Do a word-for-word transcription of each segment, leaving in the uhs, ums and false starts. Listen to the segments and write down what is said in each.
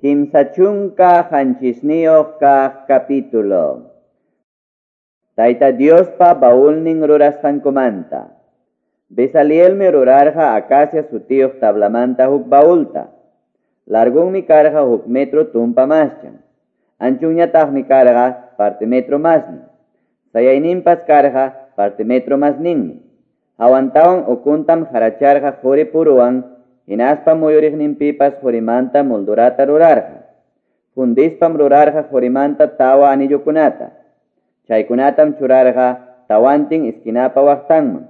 Kimsa chunka qanchisniyuq kaq capítulo. Tayta Diospa baulnin rurasqankumanta. Bezalielmi rurarqa acacia sutiyuq tablamanta huk baulta. Largunmi karqa huk metro tumpa maschan. Anchunñataqmi karqa parte metro masnin. Sayayninpas karqa parte metro masninmi. Hawantawan ukuntam haracharqa quri puruwan, hinaspa muyuriqninpipas qurimanta moldurata rurarqa. Fundispam rurarqa qurimanta tawa anillukunata. Chaykunatam churarqa tawantin esquinapa waqtanman.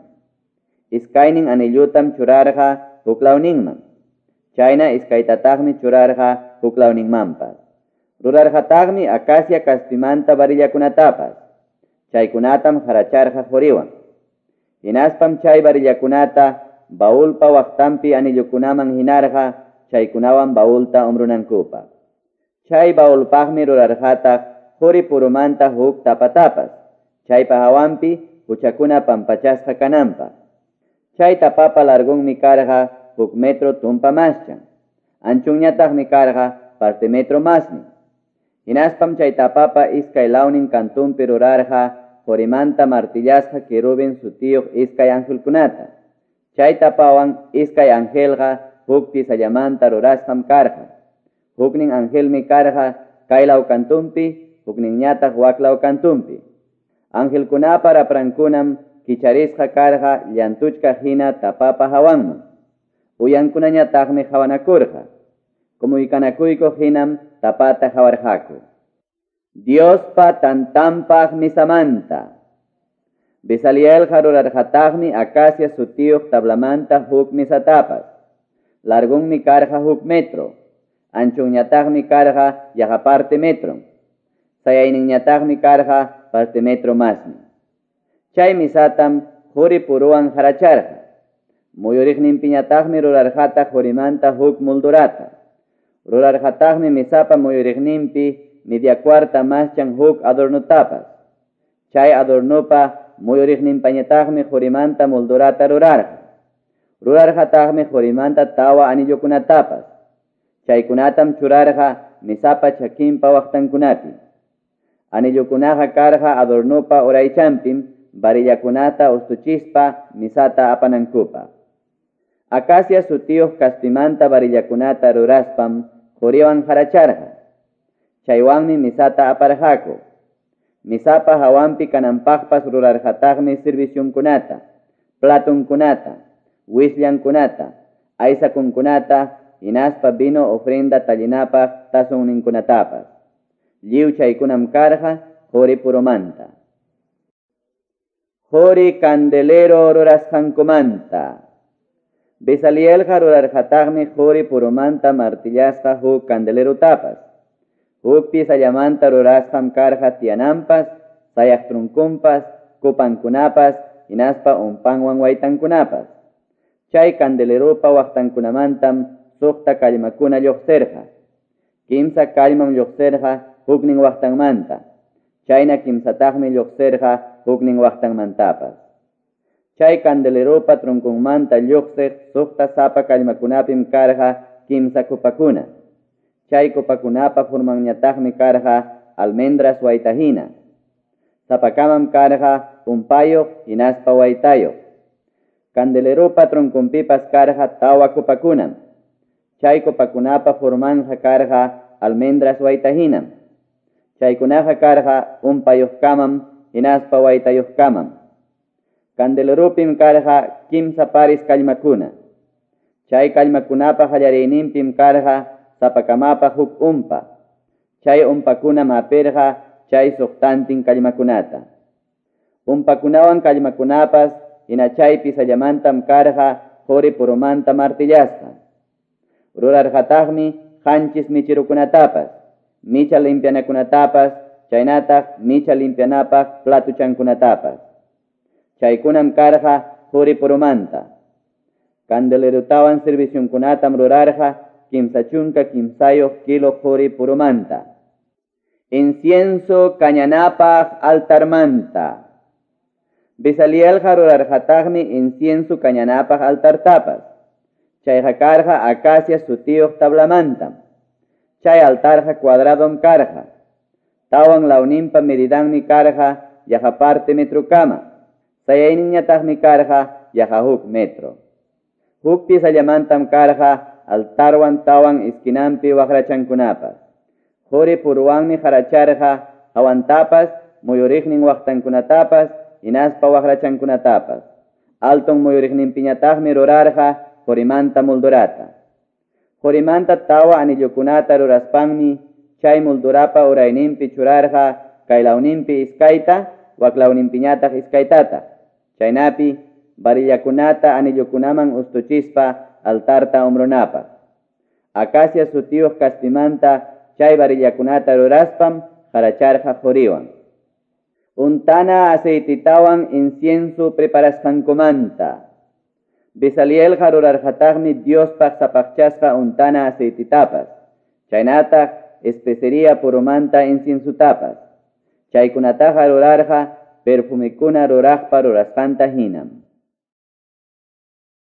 Iskaynin anillutam churarqa huklawninman. Chayna iskaytataqmi churarqa huklawninmanpas. Rurarqataqmi acacia kaspimanta varillakunatapas. Chaykunatam haracharqa quriwan. Hinaspam chay varillakunata baulpa waqtanpi anillukunaman hinarqa chaykunawan baulta umrunankupaq. Chay baulpaqmi rurarqataq quri purumanta huk tapatapas, chaypa hawanpi huchakuna pampachasqa kananpaq. Chay tapapa largunmi karqa huk metro tumpa maschan. Anchunñataqmi karqa parte metro masnin. Hinaspam chay tapapa iskay lawnin kantunpi rurarqa qorimanta martillasqa querubin sutiyuq iskay angelkunata. Chay tapawan iskay angelqa huk pisallamanta rurasqam karqa. Huknin angelmi karqa kaylaw kantunpi, hukninñataq waklaw kantunpi. Angelkunapa raprankunam kicharisqa karqa llantuchka hina tapapa hawanman. Uyankunañataqmi hawanakurqa. Kumuykanakuykuq hinam tapata hawarqaku. Diospa tantanpaq misamanta. Bezalielqa rurarqataqmi acacia sutiyuq tablamanta huk misatapas. Largunmi karqa huk metro. Anchunñataqmi karqa yaqa parte metro. Sayayninñataqmi karqa parte metro masmi. Chay misatam quri puruwan haracharqa. Muyuriqninpiñataqmi rurarqataq qurimanta huk moldurata. Rurarqataqmi misapa muyuriqninpi media cuarta maschan huk adornutapas. Chay adornupa muyuriqninpañataqmi qurimanta moldurata rurarqa. Rurarqataqmi qurimanta tawa anillukunatapas. Chaykunatam churarqa misapa chakinpa waqtankunapi. Anillukunaqa karqa adornupa uraychanpim varillakunata ustuchispa misata apanankupaq. Acacia sutiyuq kaspimanta varillakunata ruraspam quriwan haracharqa. Chaywanmi misata aparqaku. Misapa hawanpi kananpaqpas rurarqataqmi servicionkunata, platunkunata, wisllankunata, aysakunkunata, hinaspa vino ofrenda tallinapaq tazonninkunatapas. Lliw chaykunam karqa quri purumanta. Quri candelero rurasqankumanta. Bezalielqa rurarqataqmi quri purumanta martillasqa huk candelerutapas. Huk pisallamanta rurasqam karqa tiyananpas, sayaq trunkunpas, kupankunapas, hinaspa umpanwan waytankunapas. Chay candelerupa waqtankunamantam suqta kallmakuna lluqsirqa. Kimsa kallmam lluqsirqa huknin waqtanmanta. Chayna kimsataqmi lluqsirqa huknin waqtanmantapas. Chay candelerupa trunkunmanta lluqsiq suqta sapa kallmakunapim karqa kimsa kupakuna. Chay kupakunapa formanñataqmi karqa almendras waytahina. Sapakamam karqa umpayuq hinaspa waytayuq. Candelerupa trunkunpipas karqa tawa kupakunam. Chay kupakunapa formanja karqa almendras waytahinam. Chaykunaqa karqa umpayuqkamam hinaspa waytayuqkamam. Candelerupim karqa kimsa paris kallmakuna. Chay kallmakunapa qallariyninpim karqa sapakamapa huk umpa. Chay umpakunam hapirqa chay suqtantin kallmakunata. Umpakunawan kallmakunapas hina chay pisallamantam karqa quri purumanta martillasqa. Rurarqataqmi qanchis michirukunatapas, micha limpianakunatapas, chaynataq micha limpianapaq platuchankunatapas. Chaykunam karqa quri purumanta. Candelerutawan servicionkunatam rurarqa kimsa chunka kimsayuq kilo quri purumanta. Incienso kañanapaq altarmanta. Bezalielqa rurarqataqmi incienso kañanapaq altartapas. Chayqa karqa acacia sutiyuq tablamantam. Chay altarqa cuadradom karqa. Tawan lawninpa medidanmi karqa yaqa parte metrokama. Sayayninñataqmi karqa yaqa huk metro. Huk piezallamantam karqa altarwan tawan esquinanpi waqrachankunapas. Quri puruwanmi qaracharqa hawantapas, muyuriqnin waqtankunatapas, hinaspa waqrachankunatapas. Alton muyuriqninpiñataqmi rurarqa qorimanta moldurata. Qorimanta tawa anillukunata ruraspanmi chay moldurapa urayninpi churarqa kaylawninpi iskayta, waklawninpiñataq iskaytata. Chaynapi varillakunata anillukunaman ustuchispa altarta umrunapaq. Acacia sutiyuq kaspimanta chay varillakunata ruraspam qaracharqa quriwan. Untana aceititawan incienso preparasqankumanta. Bezalielqa rurarqataqmi Diospaq sapaqchasqa untana aceititapas. Chaynataq especería purumanta inciensutapas. Chaykunataqa rurarqa perfumikuna ruraqpa rurasqanta hinam.